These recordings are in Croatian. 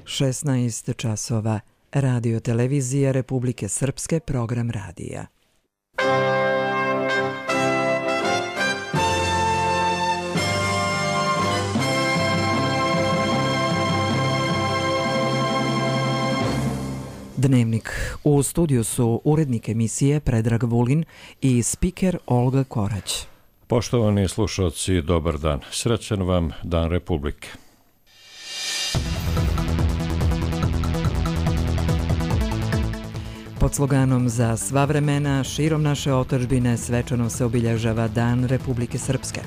16 časova. Radio televizija Republike Srpske, program radija. Dnevnik. U studiju su urednik emisije Predrag Vulin i spiker Olga Korać. Poštovani slušalci, dobar dan. Srećan vam Dan Republike. Pod sloganom Za sva vremena, širom naše otadžbine svečano se obilježava Dan Republike Srpske.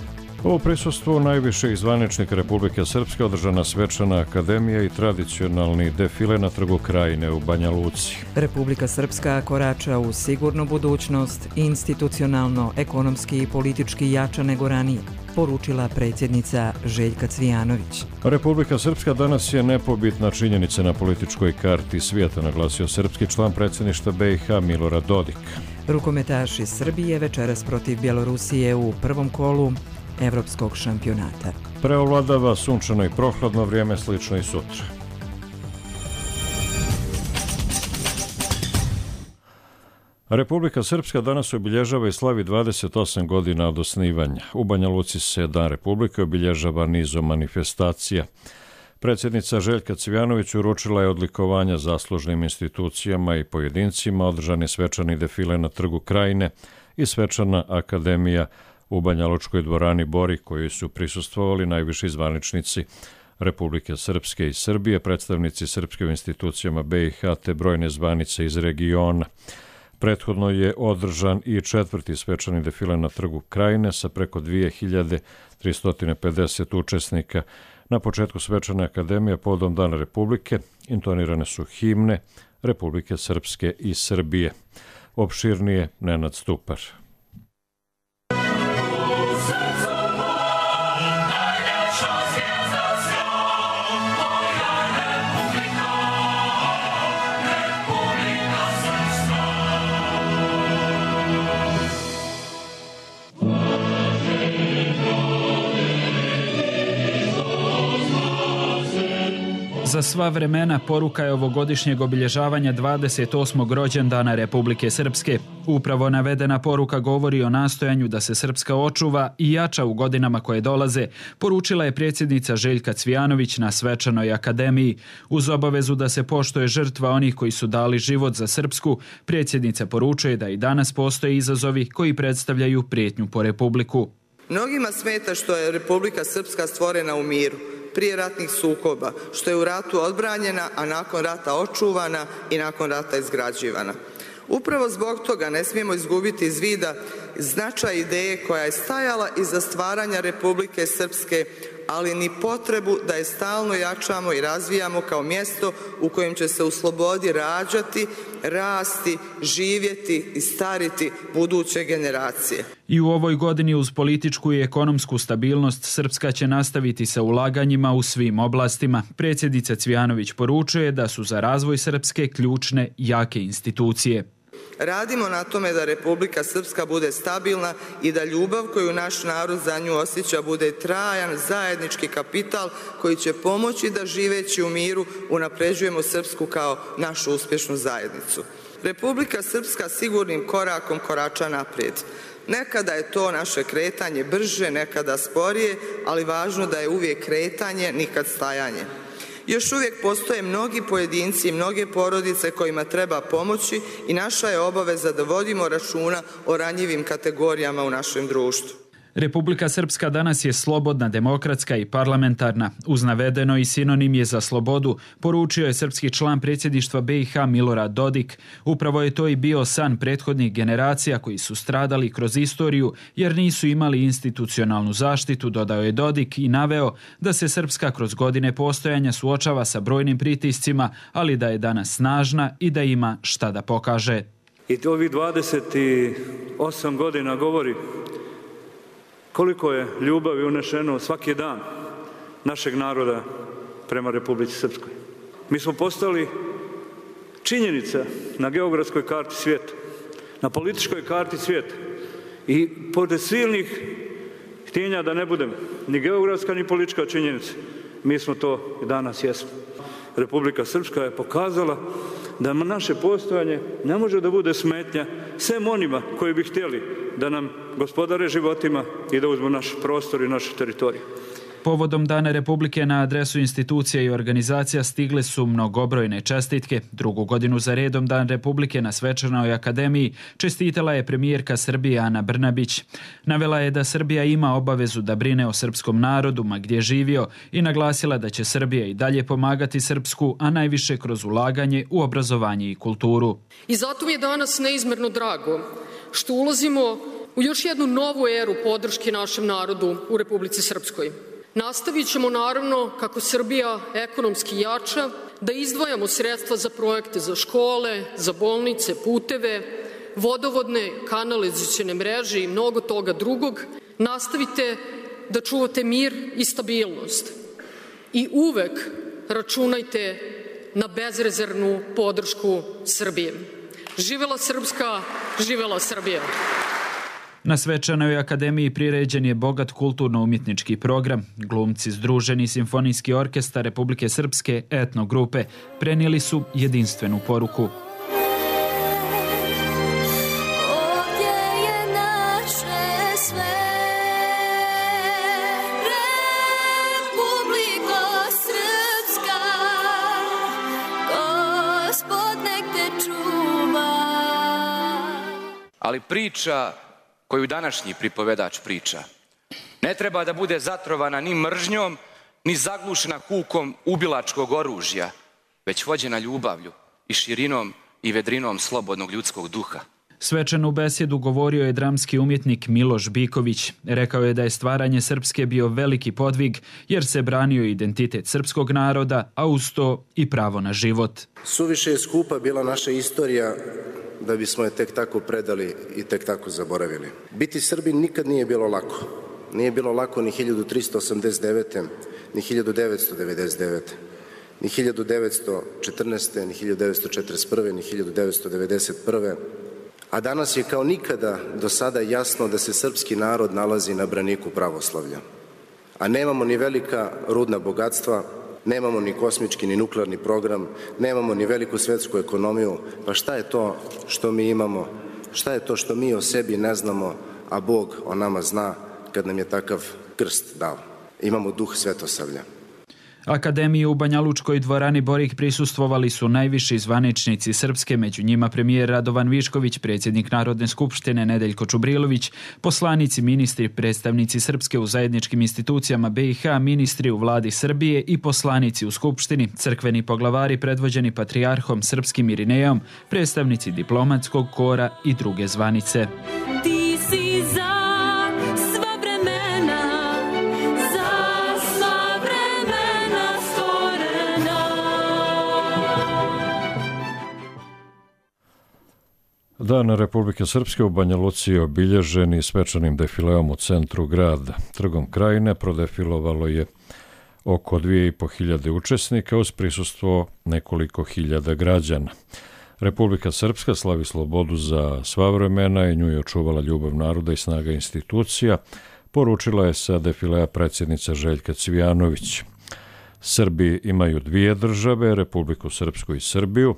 U prisustvu najviših zvaničnika Republike Srpske održana svečana akademija i tradicionalni defile na Trgu Krajine u Banja Luci. Republika Srpska korača u sigurnu budućnost, institucionalno, ekonomski i politički jača nego ranije, poručila predsjednica Željka Cvijanović. Republika Srpska danas je nepobitna činjenica na političkoj karti svijeta, naglasio srpski član predsjedništva BiH Milorad Dodik. Rukometaši Srbije večeras protiv Bjelorusije u prvom kolu Evropskog šampionata. Preovladava sunčano i prohladno vrijeme, slično i sutra. Republika Srpska danas obilježava i slavi 28 godina od osnivanja. U Banja Luci se Dan Republike obilježava nizom manifestacija. Predsjednica Željka Cvijanović uručila je odlikovanja zaslužnim institucijama i pojedincima, održani svečani defile na Trgu Krajine i svečana akademija u Banjalučkoj dvorani Bori, koji su prisustvovali najviši zvaničnici Republike Srpske i Srbije, predstavnici srpske u institucijama BiH te brojne zvanice iz regiona. Prethodno je održan i četvrti svečani defile na Trgu Krajine sa preko 2350 učesnika. Na početku svečane akademije povodom Dana Republike intonirane su himne Republike Srpske i Srbije. Opširnije Nenad Stupar. Za sva vremena poruka je ovogodišnjeg obilježavanja 28. rođendana Republike Srpske. Upravo navedena poruka govori o nastojanju da se Srpska očuva i jača u godinama koje dolaze, poručila je predsjednica Željka Cvijanović na svečanoj akademiji. Uz obavezu da se poštuje žrtva onih koji su dali život za Srpsku, predsjednica poručuje da i danas postoje izazovi koji predstavljaju prijetnju po Republiku. Mnogima smeta što je Republika Srpska stvorena u miru, prije ratnih sukoba, što je u ratu odbranjena, a nakon rata očuvana i nakon rata izgrađivana. Upravo zbog toga ne smijemo izgubiti iz vida značaj ideje koja je stajala iza stvaranja Republike Srpske, ali ni potrebu da je stalno jačamo i razvijamo kao mjesto u kojem će se u slobodi rađati, rasti, živjeti i stariti buduće generacije. I u ovoj godini uz političku i ekonomsku stabilnost Srpska će nastaviti sa ulaganjima u svim oblastima. Predsjednica Cvijanović poručuje da su za razvoj Srpske ključne jake institucije. Radimo na tome da Republika Srpska bude stabilna i da ljubav koju naš narod za nju osjeća bude trajan zajednički kapital koji će pomoći da živeći u miru unapređujemo Srpsku kao našu uspješnu zajednicu. Republika Srpska sigurnim korakom korača naprijed. Nekada je to naše kretanje brže, nekada sporije, ali važno da je uvijek kretanje, nikad stajanje. Još uvijek postoje mnogi pojedinci i mnoge porodice kojima treba pomoći i naša je obaveza da vodimo računa o ranjivim kategorijama u našem društvu. Republika Srpska danas je slobodna, demokratska i parlamentarna. Uz navedeno i sinonim je za slobodu, poručio je srpski član predsjedništva BiH Milorad Dodik. Upravo je to i bio san prethodnih generacija koji su stradali kroz istoriju jer nisu imali institucionalnu zaštitu, dodao je Dodik i naveo da se Srpska kroz godine postojanja suočava sa brojnim pritiscima, ali da je danas snažna i da ima šta da pokaže. I to ovih 28 godina govori koliko je ljubavi unešeno svaki dan našeg naroda prema Republici Srpskoj. Mi smo postali činjenica na geografskoj karti svijeta, na političkoj karti svijeta i pored silnih htjenja da ne budem ni geografska ni politička činjenica, mi smo to i danas jesmo. Republika Srpska je pokazala da naše postojanje ne može da bude smetnja sem onima koji bi htjeli da nam gospodare životima i da uzmu naš prostor i našu teritoriju. Povodom Dana Republike na adresu institucija i organizacija stigle su mnogobrojne čestitke. Drugu godinu za redom Dan Republike na Svečanoj akademiji čestitala je premijerka Srbije Ana Brnabić. Navela je da Srbija ima obavezu da brine o srpskom narodu ma gdje živio i naglasila da će Srbija i dalje pomagati srpsku, a najviše kroz ulaganje u obrazovanje i kulturu. I zato mi je danas neizmerno drago što ulazimo u još jednu novu eru podrške našem narodu u Republici Srpskoj. Nastavit ćemo naravno, kako Srbija ekonomski jača, da izdvajamo sredstva za projekte za škole, za bolnice, puteve, vodovodne, kanalizacione mreže i mnogo toga drugog. Nastavite da čuvate mir i stabilnost i uvek računajte na bezrezervnu podršku Srbije. Živela Srpska, živela Srbija! Na Svečanoj akademiji priređen je bogat kulturno-umjetnički program. Glumci Združeni simfonijski orkestar Republike Srpske etnogrupe prenijeli su jedinstvenu poruku. Ali priča koju današnji pripovedač priča ne treba da bude zatrovana ni mržnjom, ni zaglušena hukom ubilačkog oružja, već vođena ljubavlju i širinom i vedrinom slobodnog ljudskog duha. Svečanu besjedu govorio je dramski umjetnik Miloš Biković. Rekao je da je stvaranje Srpske bio veliki podvig jer se branio identitet srpskog naroda, a uz to i pravo na život. Suviše je skupa bila naša istorija da bismo je tek tako predali i tek tako zaboravili. Biti Srbin nikad nije bilo lako. Nije bilo lako ni 1389. ni 1999. ni 1914. ni 1941. ni 1991. A danas je kao nikada do sada jasno da se srpski narod nalazi na braniku pravoslavlja. A nemamo ni velika rudna bogatstva, nemamo ni kosmički ni nuklearni program, nemamo ni veliku svetsku ekonomiju, pa šta je to što mi imamo? Šta je to što mi o sebi ne znamo, a Bog o nama zna kad nam je takav krst dao? Imamo duh svetosavlja. Akademiju u Banja Lučkoj dvorani Borik prisustvovali su najviši zvaničnici Srpske, među njima premijer Radovan Višković, predsjednik Narodne skupštine Nedeljko Čubrilović, poslanici, ministri, predstavnici Srpske u zajedničkim institucijama BiH, ministri u vladi Srbije i poslanici u Skupštini, crkveni poglavari predvođeni patrijarhom Srpskim Irinejom, predstavnici diplomatskog kora i druge zvanice. Ti si za sva vremena, Dan Republike Srpske u Banja Luci je obilježen i svečanim defileom u centru grada. Trgom Krajine prodefilovalo je oko 2500 učesnika uz prisustvo nekoliko hiljada građana. Republika Srpska slavi slobodu za sva vremena i nju je očuvala ljubav naroda i snaga institucija, poručila je sa defilea predsjednica Željka Cvijanović. Srbi imaju dvije države, Republiku Srpsku i Srbiju.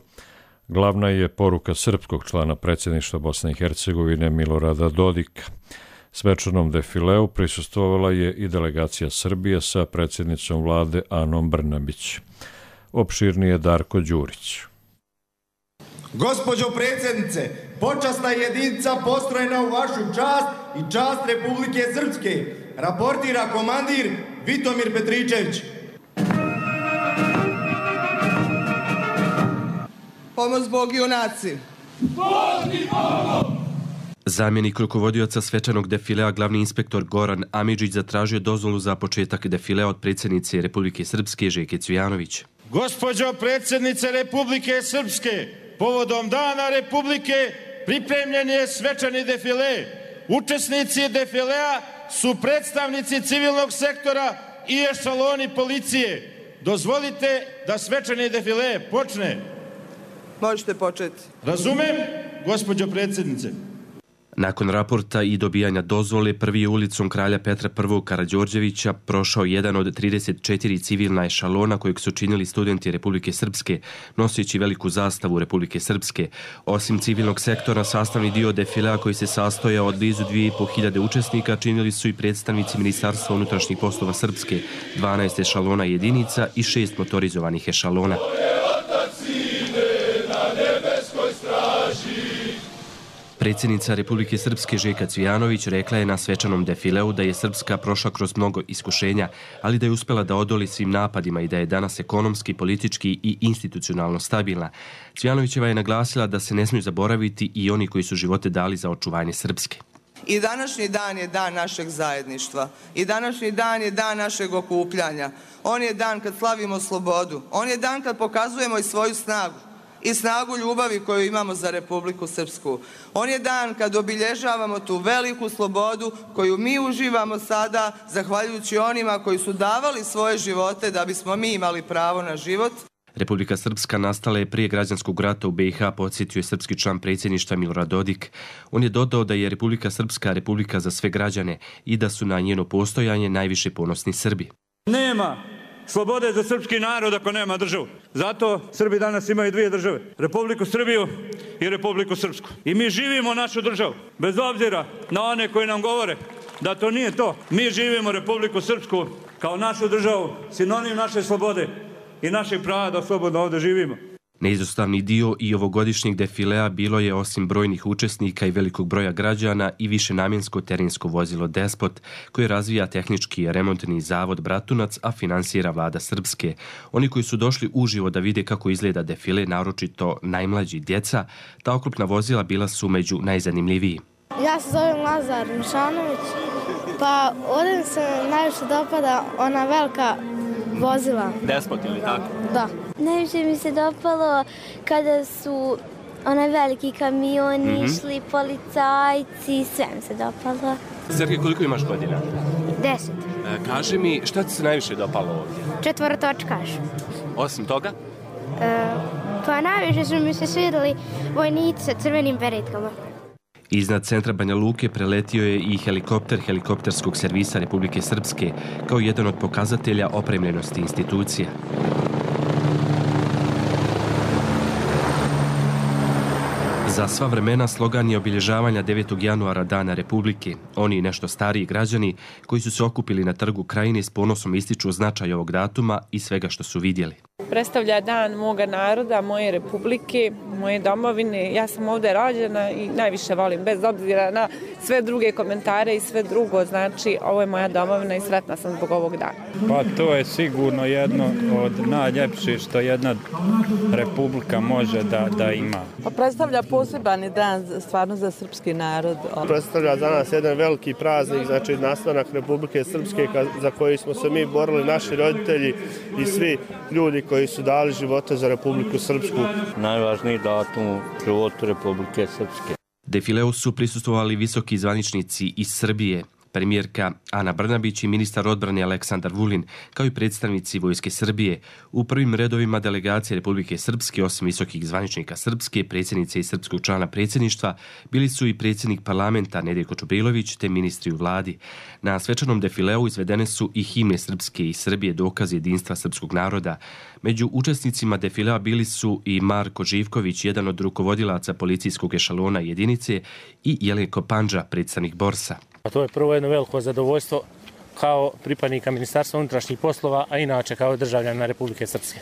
Glavna je poruka srpskog člana predsjedništva Bosne i Hercegovine Milorada Dodika. Svečanom defileu prisustvovala je i delegacija Srbije sa predsjednicom vlade Anom Brnabić. Opširnije Darko Đurić. Gospođo predsjednice, počasna jedinica postrojena u vašu čast i čast Republike Srpske, raportira komandir Vitomir Petričević. Pomoz Bog junaci! Bog i Bogom! Zamjenik rukovodioca svečanog defilea, glavni inspektor Goran Amidžić, zatražio dozvolu za početak defilea od predsjednice Republike Srpske Željke Cvijanović. Gospođo predsjednice Republike Srpske, povodom Dana Republike pripremljen je svečani defile. Učesnici defilea su predstavnici civilnog sektora i ešaloni policije. Dozvolite da svečani defile počne. Možete početi. Razumem, gospođo predsjednice. Nakon raporta i dobijanja dozvole, prvi je ulicom kralja Petra I. Karađorđevića prošao jedan od 34 civilna ešalona kojeg su činili studenti Republike Srpske, noseći veliku zastavu Republike Srpske. Osim civilnog sektora, sastavni dio defilea koji se sastojao od blizu 2500 učesnika činili su i predstavnici Ministarstva unutrašnjih poslova Srpske, 12 ešalona jedinica i 6 motorizovanih ešalona. Predsjednica Republike Srpske Željka Cvijanović rekla je na svečanom defileu da je Srpska prošla kroz mnogo iskušenja, ali da je uspjela da odoli svim napadima i da je danas ekonomski, politički i institucionalno stabilna. Cvijanovićeva je naglasila da se ne smiju zaboraviti i oni koji su živote dali za očuvanje Srpske. I današnji dan je dan našeg zajedništva. I današnji dan je dan našeg okupljanja. On je dan kad slavimo slobodu. On je dan kad pokazujemo i svoju snagu. I snagu ljubavi koju imamo za Republiku Srpsku. On je dan kad obilježavamo tu veliku slobodu koju mi uživamo sada, zahvaljujući onima koji su davali svoje živote da bismo mi imali pravo na život. Republika Srpska nastala je prije građanskog rata u BiH, podsjetio je srpski član predsjedništva Milorad Dodik. On je dodao da je Republika Srpska republika za sve građane i da su na njeno postojanje najviše ponosni Srbi. Nema slobode za srpski narod ako nema državu. Zato Srbi danas imaju dvije države. Republiku Srbiju i Republiku Srpsku. I mi živimo našu državu. Bez obzira na one koji nam govore da to nije to. Mi živimo Republiku Srpsku kao našu državu, sinonim naše slobode i našeg prava da slobodno ovdje živimo. Neizostavni dio i ovogodišnjeg defilea bilo je, osim brojnih učesnika i velikog broja građana, i višenamjensko terensko vozilo Despot, koje razvija tehnički remontni zavod Bratunac, a finansira vlada Srpske. Oni koji su došli uživo da vide kako izgleda defile, naročito najmlađi djeca, ta oklopna vozila bila su među najzanimljiviji. Ja se zovem Lazar Mišanović, pa ovdje se najviše dopada ona velika vozila. Despot ili tako? Da. Najviše mi se dopalo kada su onaj veliki kamioni išli, policajci, sve mi se dopalo. Sergej, koliko imaš godina? 10. Kaži mi, šta ti se najviše dopalo ovdje? 4-točkaš. Osim toga? Pa najviše su mi se svidjeli vojnici sa crvenim beretkama. Iznad centra Banja Luke preletio je i helikopter helikopterskog servisa Republike Srpske kao jedan od pokazatelja opremljenosti institucija. Za sva vremena slogan je obilježavanja 9. januara Dana Republike. Oni nešto stariji građani koji su se okupili na trgu Krajine s ponosom ističu značaj ovog datuma i svega što su vidjeli. Predstavlja dan moga naroda, moje republike, moje domovine. Ja sam ovdje rođena i najviše volim, bez obzira na sve druge komentare i sve drugo. Znači, ovo je moja domovina i sretna sam zbog ovog dana. Pa to je sigurno jedno od najljepših što jedna republika može da ima. Pa predstavlja poseban dan stvarno za srpski narod. Predstavlja za nas jedan veliki praznik, znači nastanak Republike Srpske za koji smo se mi borili, naši roditelji i svi ljudi koji su dali živote za Republiku Srpsku. Najvažniji datum u životu Republike Srpske. Defileu su prisustvovali visoki zvaničnici iz Srbije, premijerka Ana Brnabić i ministar odbrane Aleksandar Vulin, kao i predstavnici Vojske Srbije. U prvim redovima delegacije Republike Srpske, osim visokih zvaničnika Srpske, predsjednice i srpskog člana predsjedništva, bili su i predsjednik parlamenta Nedeljko Čubrilović te ministri u vladi. Na svečanom defileu izvedene su i himne Srpske i Srbije, dokaz jedinstva srpskog naroda. Među učesnicima defilea bili su i Marko Živković, jedan od rukovodilaca policijskog ešalona jedinice, i Jelenko Pandža, predstavnik Borsa. A to je prvo jedno veliko zadovoljstvo kao pripadnika Ministarstva unutrašnjih poslova, a inače kao državljana Republike Srpske.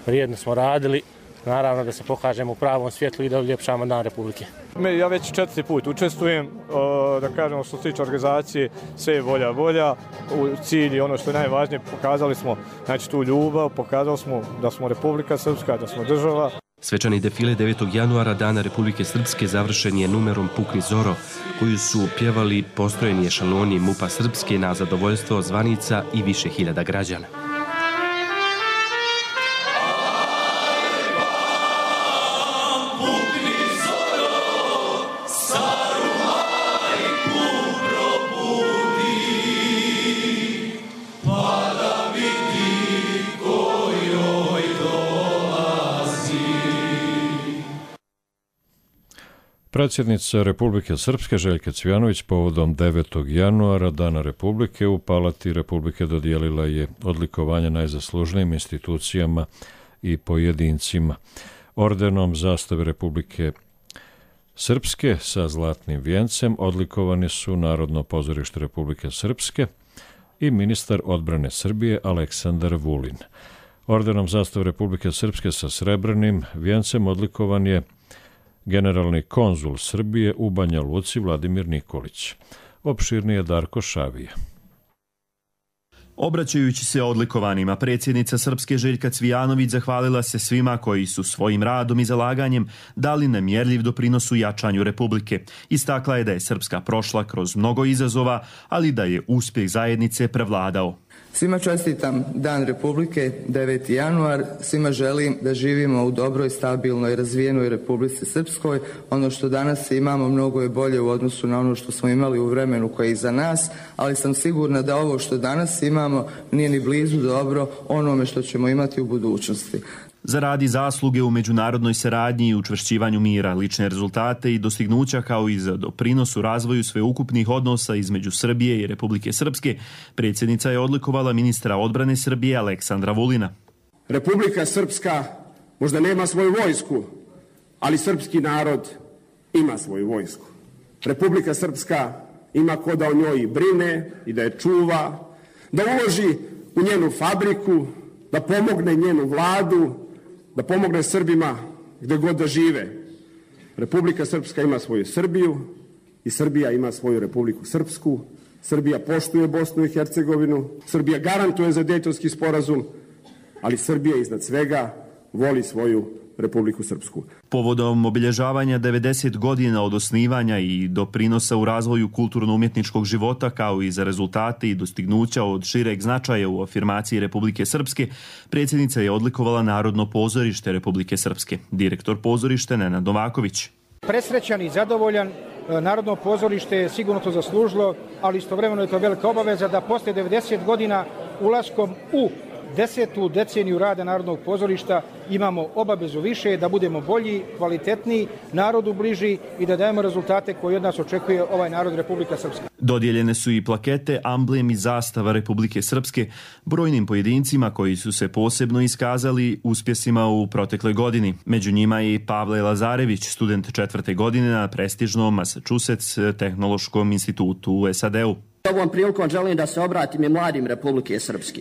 Vrijedno smo radili, naravno da se pokažemo u pravom svjetlu i da uljepšamo Dan Republike. Ja već 4. put učestvujem, da kažemo što se tiče organizacije, sve je volja. U cilji, ono što je najvažnije, pokazali smo znači, tu ljubav, pokazali smo da smo Republika Srpska, da smo država. Svečani defile 9. januara Dana Republike Srpske završen je numerom Pukni Zoro, koju su pjevali postrojeni ešaloni MUP-a Srpske na zadovoljstvo zvanica i više hiljada građana. Predsjednica Republike Srpske Željka Cvijanović povodom 9. januara, Dana Republike, u Palati Republike dodijelila je odlikovanje najzaslužnijim institucijama i pojedincima. Ordenom zastave Republike Srpske sa zlatnim vijencem odlikovani su Narodno pozorište Republike Srpske i ministar odbrane Srbije Aleksandar Vulin. Ordenom zastave Republike Srpske sa srebrnim vijencem odlikovan je generalni konzul Srbije u Banja Luci Vladimir Nikolić. Opširnije Darko Šavija. Obraćajući se odlikovanima, predsjednica Srpske Željka Cvijanović zahvalila se svima koji su svojim radom i zalaganjem dali nemjerljiv doprinos u jačanju Republike. Istakla je da je Srpska prošla kroz mnogo izazova, ali da je uspjeh zajednice prevladao. Svima čestitam Dan Republike, 9. januar. Svima želim da živimo u dobroj, stabilnoj i razvijenoj Republici Srpskoj. Ono što danas imamo mnogo je bolje u odnosu na ono što smo imali u vremenu koje je iza nas, ali sam sigurna da ovo što danas imamo nije ni blizu dobro onome što ćemo imati u budućnosti. Zaradi zasluge u međunarodnoj saradnji i učvršćivanju mira, lične rezultate i dostignuća kao i za doprinos u razvoju sveukupnih odnosa između Srbije i Republike Srpske, predsjednica je odlikovala ministra odbrane Srbije Aleksandra Vulina. Republika Srpska možda nema svoju vojsku, ali srpski narod ima svoju vojsku. Republika Srpska ima ko da o njoj brine i da je čuva, da uloži u njenu fabriku, da pomogne njenu vladu, da pomogne Srbima gdje god da žive. Republika Srpska ima svoju Srbiju i Srbija ima svoju Republiku Srpsku. Srbija poštuje Bosnu i Hercegovinu, Srbija garantuje za Dejtonski sporazum, ali Srbija iznad svega voli svoju Republiku Srpsku. Povodom obilježavanja 90 godina od osnivanja i doprinosa u razvoju kulturno-umjetničkog života, kao i za rezultate i dostignuća od šireg značaja u afirmaciji Republike Srpske, predsjednica je odlikovala Narodno pozorište Republike Srpske. Direktor pozorišta Nenad Novaković. Presrećan i zadovoljan, Narodno pozorište je sigurno to zaslužilo, ali istovremeno je to velika obaveza da posle 90 godina ulaskom u 10. deceniju rada Narodnog pozorišta imamo obavezu više da budemo bolji, kvalitetniji, narodu bliži i da dajemo rezultate koje od nas očekuje ovaj narod Republika Srpska. Dodijeljene su i plakete, amblem i zastava Republike Srpske brojnim pojedincima koji su se posebno iskazali uspjesima u protekloj godini. Među njima je i Pavle Lazarević, student 4. godine na prestižnom Massachusetts tehnološkom institutu u SAD-u. Ovom prilikom želim da se obratim i mladim Republike Srpske.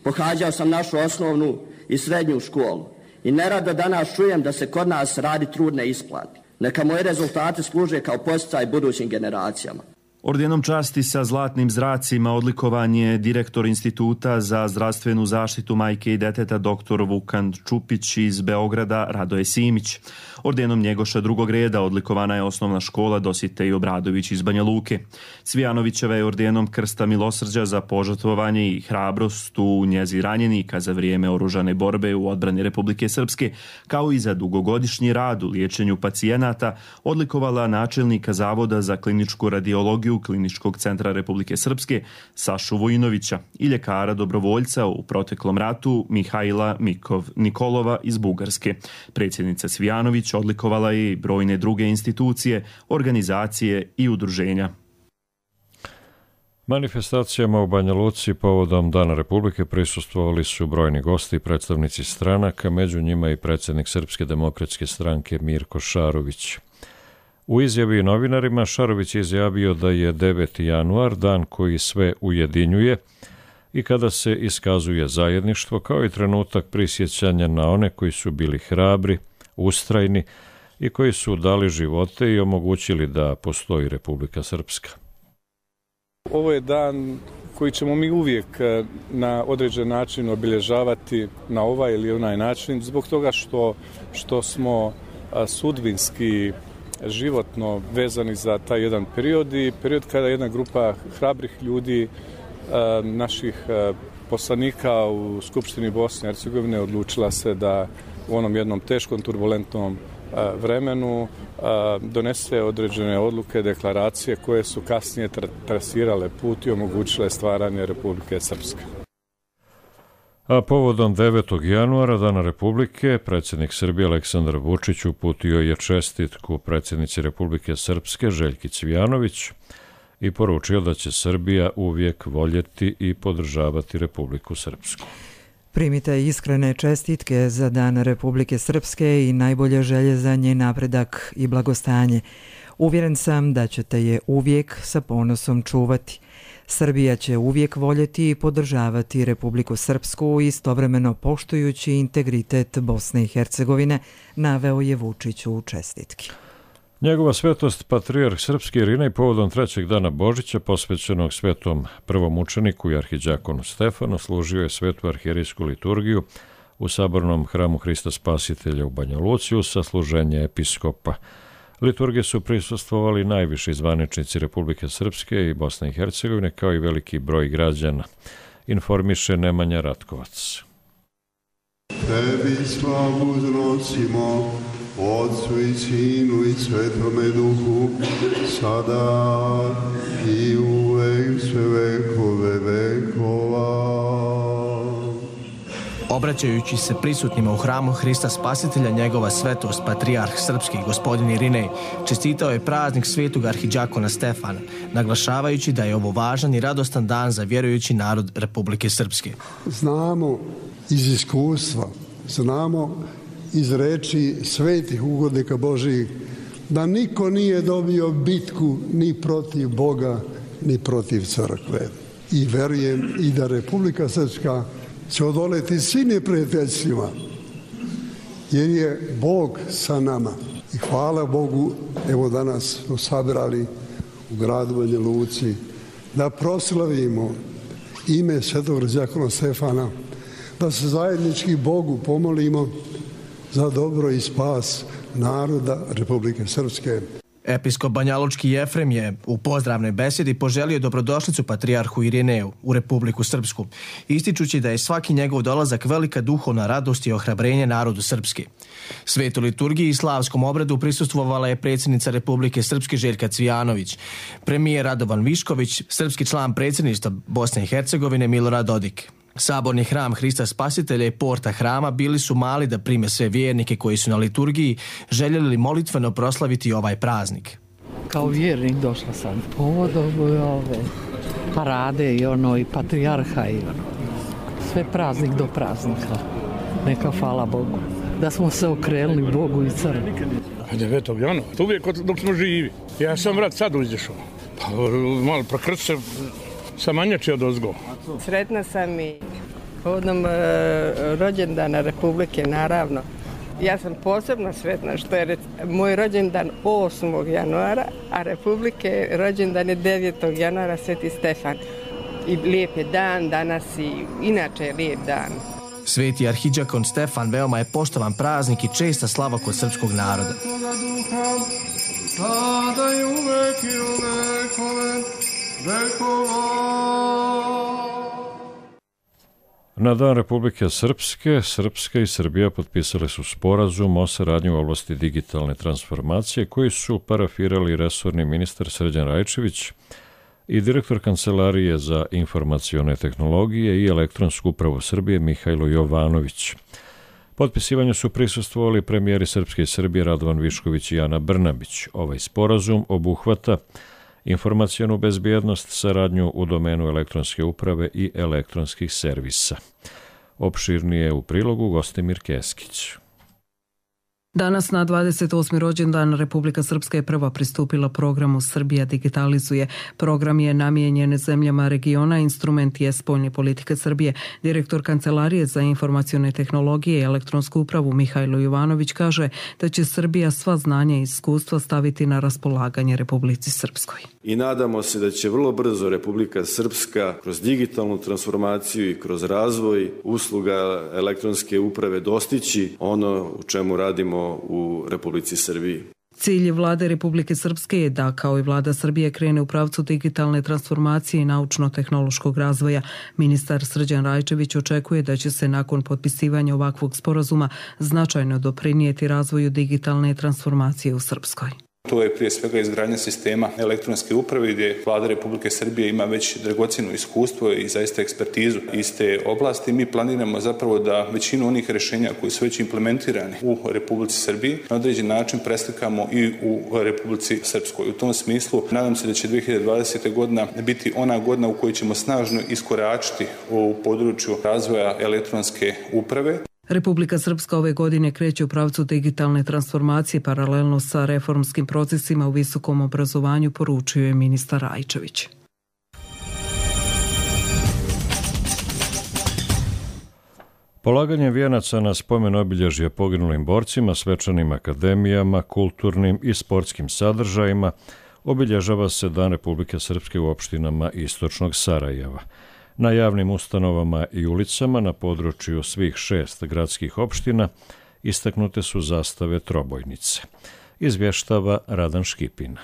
Pohađao sam našu osnovnu i srednju školu i nerado danas čujem da se kod nas radi trud ne isplati. Neka moji rezultati služe kao podsticaj budućim generacijama. Ordenom časti sa zlatnim zracima odlikovan je direktor Instituta za zdravstvenu zaštitu majke i deteta dr. Vukan Čupić iz Beograda Radoje Simić. Ordenom Njegoša drugog reda odlikovana je osnovna škola Dositej Obradović iz Banja Luke. Cvijanovićeva je ordenom Krsta milosrđa za požrtvovanje i hrabrost u njezi ranjenika za vrijeme oružane borbe u odbrani Republike Srpske, kao i za dugogodišnji rad u liječenju pacijenata, odlikovala načelnika Zavoda za kliničku radiologiju Kliničkog centra Republike Srpske Sašu Vojinovića i ljekara dobrovoljca u proteklom ratu Mihajla Mikov Nikolova iz Bugarske. Predsjednica Cvijanović odlikovala je i brojne druge institucije, organizacije i udruženja. Manifestacijama u Banja Luci povodom Dana Republike prisustvovali su brojni gosti i predstavnici stranaka, među njima i predsjednik Srpske demokratske stranke Mirko Šarović. U izjavi novinarima Šarović je izjavio da je 9. januar dan koji sve ujedinjuje i kada se iskazuje zajedništvo, kao i trenutak prisjećanja na one koji su bili hrabri, ustrajni i koji su dali živote i omogućili da postoji Republika Srpska. Ovo je dan koji ćemo mi uvijek na određen način obilježavati na ovaj ili onaj način, zbog toga što smo sudbinski životno vezani za taj jedan period i period kada jedna grupa hrabrih ljudi, naših poslanika u Skupštini Bosne i Hercegovine odlučila se da u onom jednom teškom, turbulentnom vremenu donese određene odluke, deklaracije koje su kasnije trasirale put i omogućile stvaranje Republike Srpske. A povodom 9. januara, Dana Republike, predsjednik Srbije Aleksandar Vučić uputio je čestitku predsjednici Republike Srpske Željki Cvijanović i poručio da će Srbija uvijek voljeti i podržavati Republiku Srpsku. Primite iskrene čestitke za Dan Republike Srpske i najbolje želje za njen napredak i blagostanje. Uvjeren sam da ćete je uvijek sa ponosom čuvati. Srbija će uvijek voljeti i podržavati Republiku Srpsku, istovremeno poštujući integritet Bosne i Hercegovine, naveo je Vučić u čestitki. Njegova svetost patrijarh srpski Irinej povodom 3. dana Božića posvećenog svetom prvom učeniku i arhiđakonu Stefanu služio je svetu arhijerijsku liturgiju u sabornom hramu Hrista Spasitelja u Banja Luci uz sasluženje episkopa. Liturgije su prisustvovali najviši zvaničnici Republike Srpske i Bosne i Hercegovine kao i veliki broj građana, informiše Nemanja Ratkovac. Tebi slavu znosimo, Otcu i Sinu i Svetome Duhu, sada i uvek sve vekove vekova. Obraćajući se prisutnima u hramu Hrista Spasitelja, njegova svetost patrijarh srpski gospodin Irinej čestitao je praznik svetog arhiđakona Stefana, naglašavajući da je ovo važan i radostan dan za vjerujući narod Republike Srpske. Znamo iz iskustva, znamo iz reči svetih ugodnika Božijih da niko nije dobio bitku ni protiv Boga ni protiv crkve. I verujem i da Republika Srpska će odoleti svi neprijateljstvima, jer je Bog sa nama. I hvala Bogu, evo danas smo sabrali u gradu Banja Luci da proslavimo ime svetog arhiđakona Stefana, da se zajednički Bogu pomolimo za dobro i spas naroda Republike Srpske. Episkop banjalučki Jefrem je u pozdravnoj besedi poželio dobrodošlicu patrijarhu Irineju u Republiku Srpsku, ističući da je svaki njegov dolazak velika duhovna radost i ohrabrenje narodu Srpske. Svetu liturgiji i slavskom obradu prisustvovala je predsjednica Republike Srpske Željka Cvijanović, premijer Radovan Višković, srpski član predsjedništva Bosne i Hercegovine Milorad Dodik. Saborni hram Hrista Spasitelja i porta hrama bili su mali da prime sve vjernike koji su na liturgiji željeli molitveno proslaviti ovaj praznik. Kao vjernik došla sam povodom ove parade i patrijarha i sve praznik do praznika. Neka hvala Bogu da smo se okrenuli Bogu i crkvi. 9. januara, uvijek dok smo živi. Ja sam vrat sad uđešao. Pa malo prokrst se sa manjači od ozgo. Sretna sam i povodom rođendana Republike, naravno. Ja sam posebno sretna što je moj rođendan 8. januara, a Republike rođendan je 9. januara, Sveti Stefan. I lijep je dan, danas i inače je lijep dan. Sveti arhiđakon Stefan veoma je poštovan praznik i česta slava kod srpskog naroda. Sada i uvek i u vekove vekova. Na Dan Republike Srpske, Srpska i Srbija potpisali su sporazum o saradnji u oblasti digitalne transformacije koji su parafirali resorni ministar Srđan Rajčević i direktor Kancelarije za informacione tehnologije i elektronsku upravu Srbije Mihajlo Jovanović. Potpisivanju su prisustvovali premijeri Srpske i Srbije Radovan Višković i Ana Brnabić. Ovaj sporazum obuhvata informacionu bezbjednost, saradnju u domenu elektronske uprave i elektronskih servisa. Opširnije u prilogu Gostimir Keskić. Danas na 28. rođendan Republika Srpska je prva pristupila programu Srbija digitalizuje. Program je namijenjen zemljama regiona, instrument je spoljne politike Srbije. Direktor Kancelarije za informacione tehnologije i elektronsku upravu Mihajlo Jovanović kaže da će Srbija sva znanja i iskustva staviti na raspolaganje Republici Srpskoj. I nadamo se da će vrlo brzo Republika Srpska kroz digitalnu transformaciju i kroz razvoj usluga elektronske uprave dostići ono u čemu radimo u Republici Srbiji. Cilj vlade Republike Srpske je da, kao i vlada Srbije, krene u pravcu digitalne transformacije i naučno-tehnološkog razvoja. Ministar Srđan Rajčević očekuje da će se nakon potpisivanja ovakvog sporazuma značajno doprinijeti razvoju digitalne transformacije u Srpskoj. To je prije svega izgradnja sistema elektronske uprave gdje Vlada Republike Srbije ima već dragocjeno iskustvo i zaista ekspertizu iz te oblasti. Mi planiramo zapravo da većinu onih rješenja koji su već implementirani u Republici Srbiji na određen način preslikamo i u Republici Srpskoj. U tom smislu nadam se da će 2020. godina biti ona godina u kojoj ćemo snažno iskoračiti u području razvoja elektronske uprave. Republika Srpska ove godine kreće u pravcu digitalne transformacije paralelno sa reformskim procesima u visokom obrazovanju, poručio je ministar Rajčević. Polaganje vijenaca na spomen obilježje poginulim borcima, svečanim akademijama, kulturnim i sportskim sadržajima obilježava se Dan Republike Srpske u opštinama istočnog Sarajeva. Na javnim ustanovama i ulicama na području svih 6 gradskih opština istaknute su zastave trobojnice. Izvještava Radan Škipina.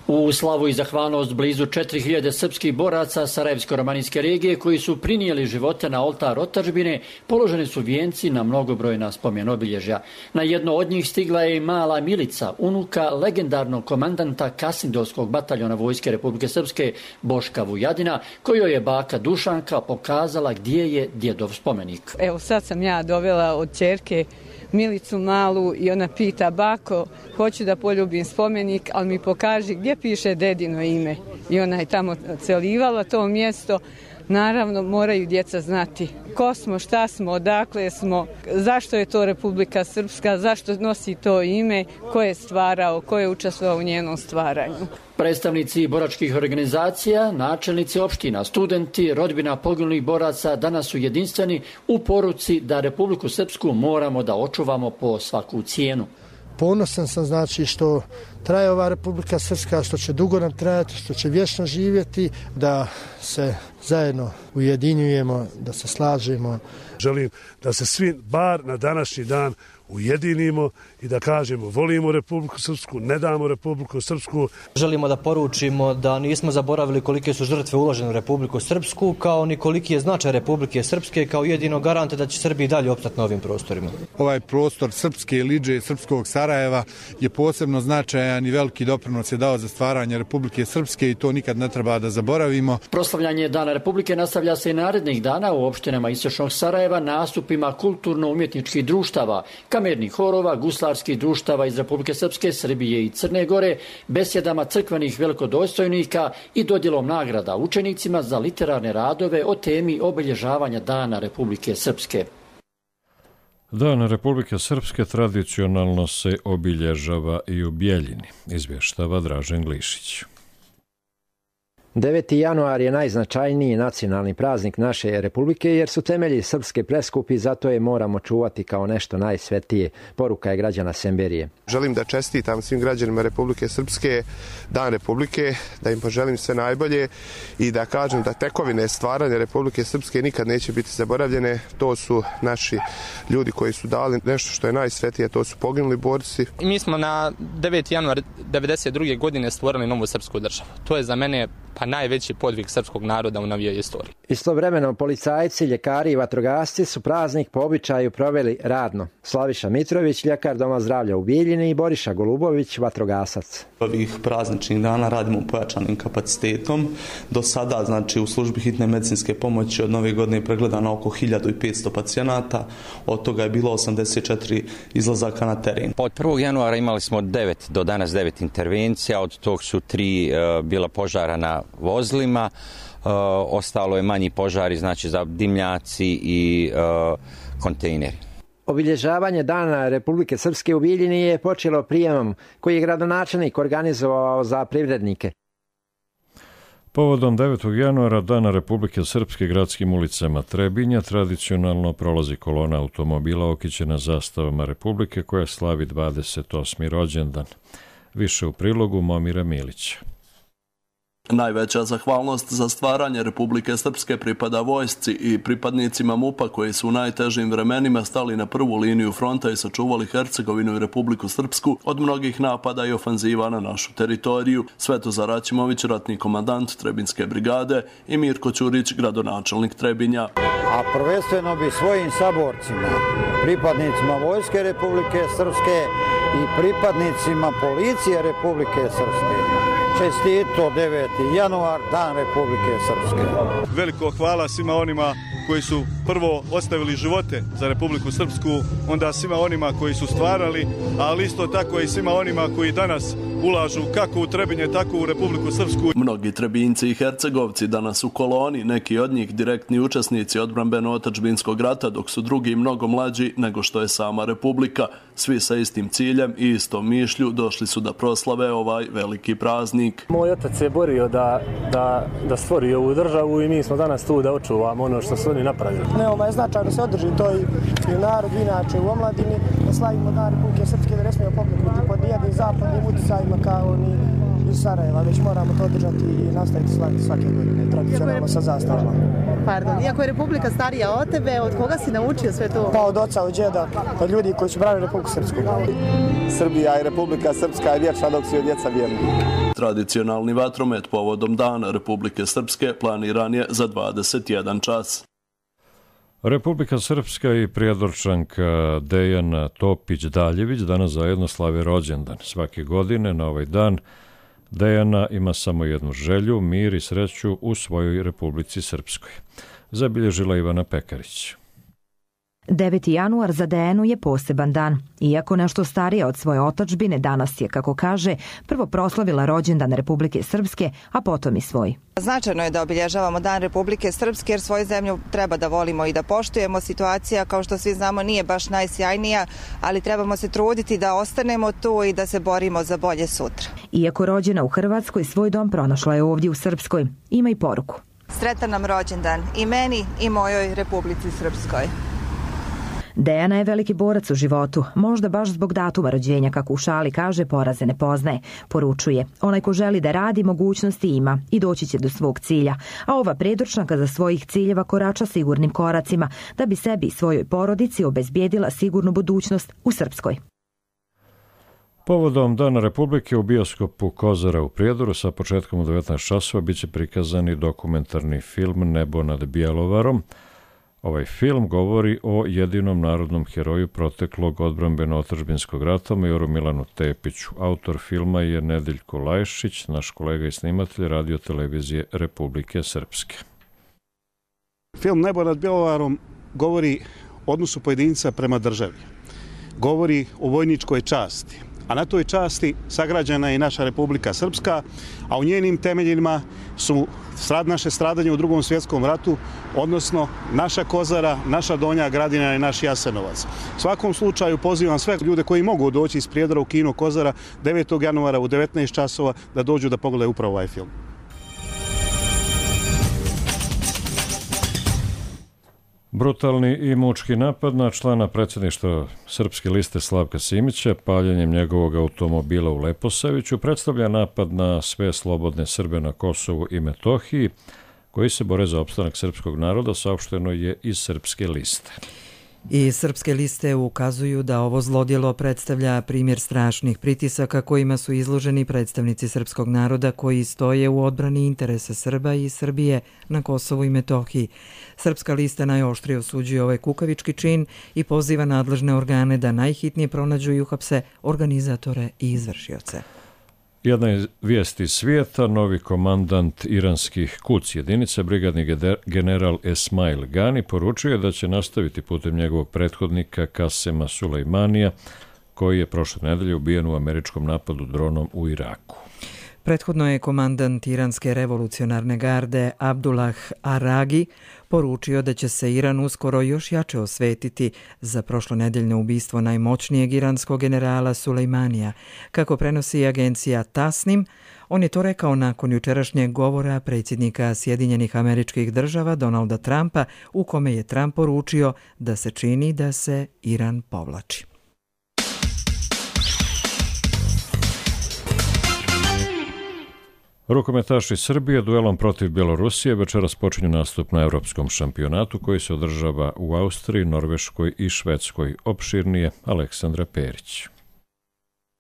U slavu i zahvalnost blizu 4000 srpskih boraca Sarajevsko-romanijske regije koji su prinijeli živote na oltar otadžbine, položeni su vijenci na mnogobrojna spomen obilježja. Na jedno od njih stigla je i mala Milica, unuka legendarnog komandanta Kasindovskog bataljona Vojske Republike Srpske Boška Vujadina, kojoj je baka Dušanka pokazala gdje je djedov spomenik. Evo sad sam ja dovela od ćerke Milicu malu i ona pita: bako, hoću da poljubim spomenik, ali mi pokaži gdje piše dedino ime. I ona je tamo celivala to mjesto. Naravno, moraju djeca znati ko smo, šta smo, odakle smo, zašto je to Republika Srpska, zašto nosi to ime, ko je stvarao, ko je učestvovao u njenom stvaranju. Predstavnici boračkih organizacija, načelnici opština, studenti, rodbina poginulih boraca danas su jedinstveni u poruci da Republiku Srpsku moramo da očuvamo po svaku cijenu. Ponosan sam znači što traje ova Republika Srpska, što će dugo nam trajati, što će vječno živjeti, da se zajedno ujedinjujemo, da se slažemo. Želim da se svi bar na današnji dan ujedinimo i da kažemo volimo Republiku Srpsku, ne damo Republiku Srpsku. Želimo da poručimo da nismo zaboravili kolike su žrtve uložene u Republiku Srpsku, kao ni koliki je značaj Republike Srpske kao jedino garante da će Srbi dalje opstati na ovim prostorima. Ovaj prostor Srpske Liđe, Srpskog Sarajeva je posebno značajan i veliki doprinos je dao za stvaranje Republike Srpske i to nikad ne treba da zaboravimo. Proslavljanje Dana Republike nastavlja se i narednih dana u opštinama istočnog Sarajeva nastupima kulturno-umjetničkih društava, kamernih horova, guslarskih društava iz Republike Srpske, Srbije i Crne Gore, besjedama crkvenih velikodostojnika i dodjelom nagrada učenicima za literarne radove o temi obilježavanja Dana Republike Srpske. Dan Republike Srpske tradicionalno se obilježava i u Bjeljini, izvještava Dražen Glišić. 9. januar je najznačajniji nacionalni praznik naše republike jer su temelji srpske preskupi, zato je moramo čuvati kao nešto najsvetije, poruka je građana Semberije. Želim da čestitam svim građanima Republike Srpske Dan Republike, da im poželim sve najbolje i da kažem da tekovine stvaranja Republike Srpske nikad neće biti zaboravljene. To su naši ljudi koji su dali nešto što je najsvetije, to su poginuli borci. Mi smo na 9. januar 1992. godine stvorili novu srpsku državu. To je za mene najveći podvig srpskog naroda u novijoj istoriji. Istovremeno policajci, ljekari i vatrogasci su praznik po običaju proveli radno. Slaviša Mitrović, ljekar Doma zdravlja u Bijeljini i Boriša Golubović, vatrogasac. Ovih prazničnih dana radimo pojačanim kapacitetom. Do sada, znači, u službi hitne medicinske pomoći od nove godine pregledano oko 1500 pacijenata, od toga je bilo 84 izlazaka na teren. Od 1. januara imali smo 9 do danas 9 intervencija, od tog su 3 bila požara na vozilima, ostalo je manji požari, znači za dimnjaci i kontejneri. Obilježavanje Dana Republike Srpske u Bijeljini je počelo prijemom koji je gradonačelnik organizovao za privrednike. Povodom 9. januara Dana Republike Srpske gradskim ulicama Trebinja tradicionalno prolazi kolona automobila okićena zastavama Republike koja slavi 28. rođendan. Više u prilogu Momira Milića. Najveća zahvalnost za stvaranje Republike Srpske pripada vojsci i pripadnicima MUP-a koji su u najtežim vremenima stali na prvu liniju fronta i sačuvali Hercegovinu i Republiku Srpsku od mnogih napada i ofanziva na našu teritoriju. Svetozar Račimović, ratni komandant Trebinske brigade, i Mirko Ćurić, gradonačelnik Trebinja. A prvenstveno bi svojim saborcima, pripadnicima Vojske Republike Srpske i pripadnicima policije Republike Srpske. Čestito 9. januar, Dan Republike Srpske. Veliko hvala svima onima koji su prvo ostavili živote za Republiku Srpsku, onda svima onima koji su stvarali, ali isto tako i svima onima koji danas ulažu kako u Trebinje, tako u Republiku Srpsku. Mnogi Trebinjci i Hercegovci danas u koloni, neki od njih direktni učesnici odbrambeno-otadžbinskog rata, dok su drugi mnogo mlađi nego što je sama Republika. Svi sa istim ciljem i istom mišlju došli su da proslave ovaj veliki praznik. Moj otac se borio da stvori ovu državu i mi smo danas tu da očuvamo ono što su oni napravili. Veoma je značajno da se održi to i u narodu, inače u omladini, da slavimo Dan Republike Srpske, da ne smijemo pokleknuti pod nijednim zapadnim utjecajima kao ni iz Sarajeva, već moramo to održati i nastaviti slaviti svake godine, tradicionalno sa zastavama. Pardon, iako je Republika starija od tebe, od koga si naučio sve to? Pa od oca, od djeda, od ljudi koji su branili Republiku Srpsku. Srbija i Republika Srpska je vječna dok su od djeca vjerni. Tradicionalni vatromet povodom Dana Republike Srpske planiran je za 21 čas. Republika Srpska i prijedorčanka Dejana Topić-Daljević danas zajedno slave rođendan. Svake godine na ovaj dan Dejana ima samo jednu želju, mir i sreću u svojoj Republici Srpskoj. Zabilježila Ivana Pekarić. 9. januar za Dejanu je poseban dan. Iako nešto starija od svoje otadžbine, danas je, kako kaže, prvo proslavila rođendan Republike Srpske, a potom i svoj. Značajno je da obilježavamo Dan Republike Srpske jer svoju zemlju treba da volimo i da poštujemo. Situacija, kao što svi znamo, nije baš najsjajnija, ali trebamo se truditi da ostanemo tu i da se borimo za bolje sutra. Iako rođena u Hrvatskoj, svoj dom pronašla je ovdje u Srpskoj. Ima i poruku. Sretan nam rođendan i meni i mojoj Republici Srpskoj. Dejana je veliki borac u životu, možda baš zbog datuma rođenja, kako u šali kaže, poraze ne poznaje. Poručuje, onaj ko želi da radi, mogućnosti ima i doći će do svog cilja. A ova predručnaka za svojih ciljeva korača sigurnim koracima, da bi sebi i svojoj porodici obezbijedila sigurnu budućnost u Srpskoj. Povodom Dana Republike u bioskopu Kozara u Prijedoru sa početkom u 19 časova biće prikazani dokumentarni film Nebo nad Bjelovarom. Ovaj film govori o jedinom narodnom heroju proteklog odbrambeno-otadžbinskog rata, majoru Milanu Tepiću. Autor filma je Nedeljko Lajšić, naš kolega i snimatelj Radio televizije Republike Srpske. Film Nebo nad Bjelovarom govori o odnosu pojedinca prema državi. Govori o vojničkoj časti, a na toj časti sagrađena je i naša Republika Srpska, a u njenim temeljima su naše stradanje u Drugom svjetskom ratu, odnosno naša Kozara, naša Donja Gradina i naš Jasenovac. U svakom slučaju pozivam sve ljude koji mogu doći iz Prijedora u kino Kozara 9. januara u 19 časova da dođu da pogledaju upravo ovaj film. Brutalni i mučki napad na člana predsjedništva Srpske liste Slavka Simića, paljenjem njegovog automobila u Leposaviću, predstavlja napad na sve slobodne Srbe na Kosovu i Metohiji, koji se bore za opstanak srpskog naroda, saopšteno je iz Srpske liste. I Srpske liste ukazuju da ovo zlodjelo predstavlja primjer strašnih pritisaka kojima su izloženi predstavnici srpskog naroda koji stoje u odbrani interesa Srba i Srbije na Kosovu i Metohiji. Srpska lista najoštrije osuđuje ovaj kukavički čin i poziva nadležne organe da najhitnije pronađu i uhapse organizatore i izvršioce. Jedna vijest iz svijeta, novi komandant iranskih Quds jedinica, brigadni general Esmail Gani, poručuje da će nastaviti putem njegovog prethodnika Kasema Sulejmanija, koji je prošle nedelje ubijen u američkom napadu dronom u Iraku. Prethodno je komandant iranske revolucionarne garde Abdullah Aragi poručio da će se Iran uskoro još jače osvetiti za prošlonedeljno ubistvo najmoćnijeg iranskog generala Sulejmanija. Kako prenosi agencija Tasnim, on je to rekao nakon jučerašnjeg govora predsjednika Sjedinjenih Američkih Država Donalda Trumpa, u kome je Trump poručio da se čini da se Iran povlači. Rukometaši Srbije duelom protiv Bjelorusije večeras počinju nastup na Evropskom šampionatu koji se održava u Austriji, Norveškoj i Švedskoj. Opširnije Aleksandra Perić.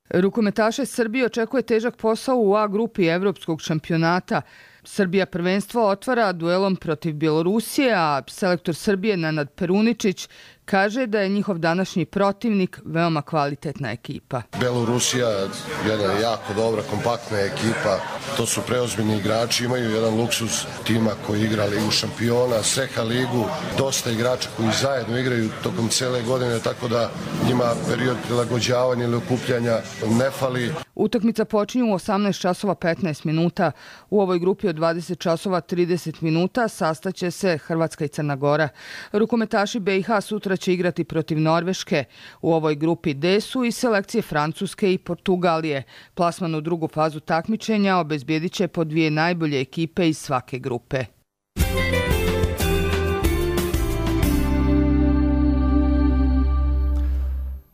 Rukometaše Srbije očekuje težak posao u A grupi Evropskog šampionata. Srbija prvenstvo otvara duelom protiv Bjelorusije, a selektor Srbije Nenad Peruničić kaže da je njihov današnji protivnik veoma kvalitetna ekipa. Belorusija je jedna jako dobra, kompaktna ekipa. To su preozbiljni igrači, imaju jedan luksuz tima koji igra Ligu šampiona, Seha ligu, dosta igrača koji zajedno igraju tokom cele godine, tako da njima period prilagođavanja ili okupljanja ne fali. Utakmica počinje u 18 časova 15 minuta. U ovoj grupi od 20 časova 30 minuta sastaće se Hrvatska i Crna Gora. Rukometaši BiH sutra će igrati protiv Norveške. U ovoj grupi D su i selekcije Francuske i Portugalije. Plasman u drugu fazu takmičenja obezbijedit će po 2 najbolje ekipe iz svake grupe.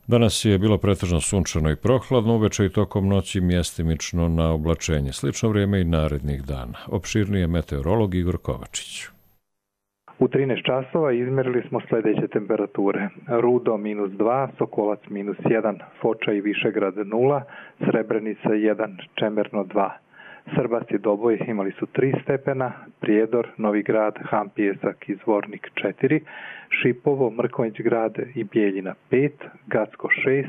Danas je bilo pretežno sunčano i prohladno, uveče i tokom noći mjestimično na oblačenje. Slično vrijeme i narednih dana. Opširnije meteorolog Igor Kovačić. U 13 časova izmjerili smo sljedeće temperature. Rudo -2, Sokolac -1, Foča i Višegrad 0, Srebrenica 1, Čemerno 2. Srbas i Doboj imali su 3 stepena, Prijedor, Novi Grad, Hampijesak i Zvornik 4, Šipovo, Mrkonjić Grad i Bijeljina 5, Gacko 6,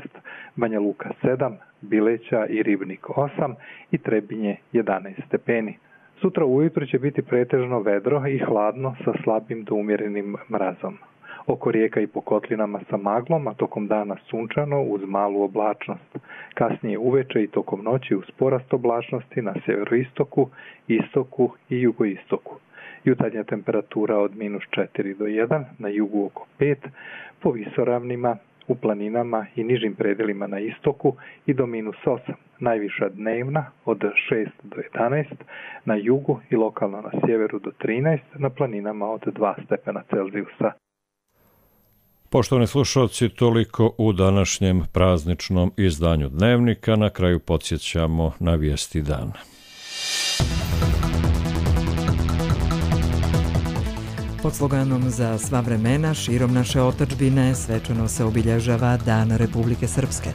Banja Luka 7, Bileća i Ribnik 8 i Trebinje 11 stepeni. Sutra ujutro će biti pretežno vedro i hladno sa slabim do umjerenim mrazom. Oko rijeka i po kotlinama sa maglom, a tokom dana sunčano uz malu oblačnost. Kasnije uveče i tokom noći uz porast oblačnosti na sjeveroistoku, istoku i jugoistoku. Jutarnja temperatura od -4 do 1, na jugu oko 5, po visoravnima, u planinama i nižim predelima na istoku i do -8. Najviša dnevna od 6 do 11, na jugu i lokalno na sjeveru do 13, na planinama od 2 stepena Celzijusa. Poštovani slušalci, toliko u današnjem prazničnom izdanju Dnevnika. Na kraju podsjećamo na vijesti dana. Pod sloganom Za sva vremena širom naše otadžbine svečano se obilježava Dan Republike Srpske.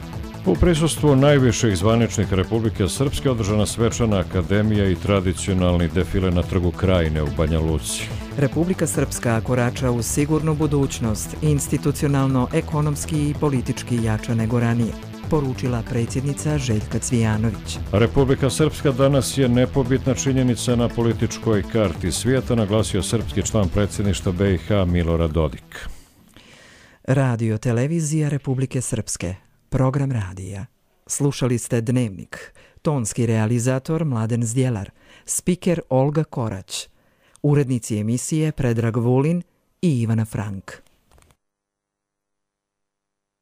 U prisustvu najviših zvaničnika Republike Srpske održana svečana akademija i tradicionalni defile na Trgu Krajine u Banja Luci. Republika Srpska korača u sigurnu budućnost, institucionalno, ekonomski i politički jača nego ranije, poručila predsjednica Željka Cvijanović. Republika Srpska danas je nepobitna činjenica na političkoj karti svijeta, naglasio srpski član predsjedništva BiH Milorad Dodik. Radio televizija Republike Srpske. Program radija. Slušali ste Dnevnik. Tonski realizator Mladen Zdjelar. Spiker Olga Korać. Urednici emisije Predrag Vulin i Ivana Frank.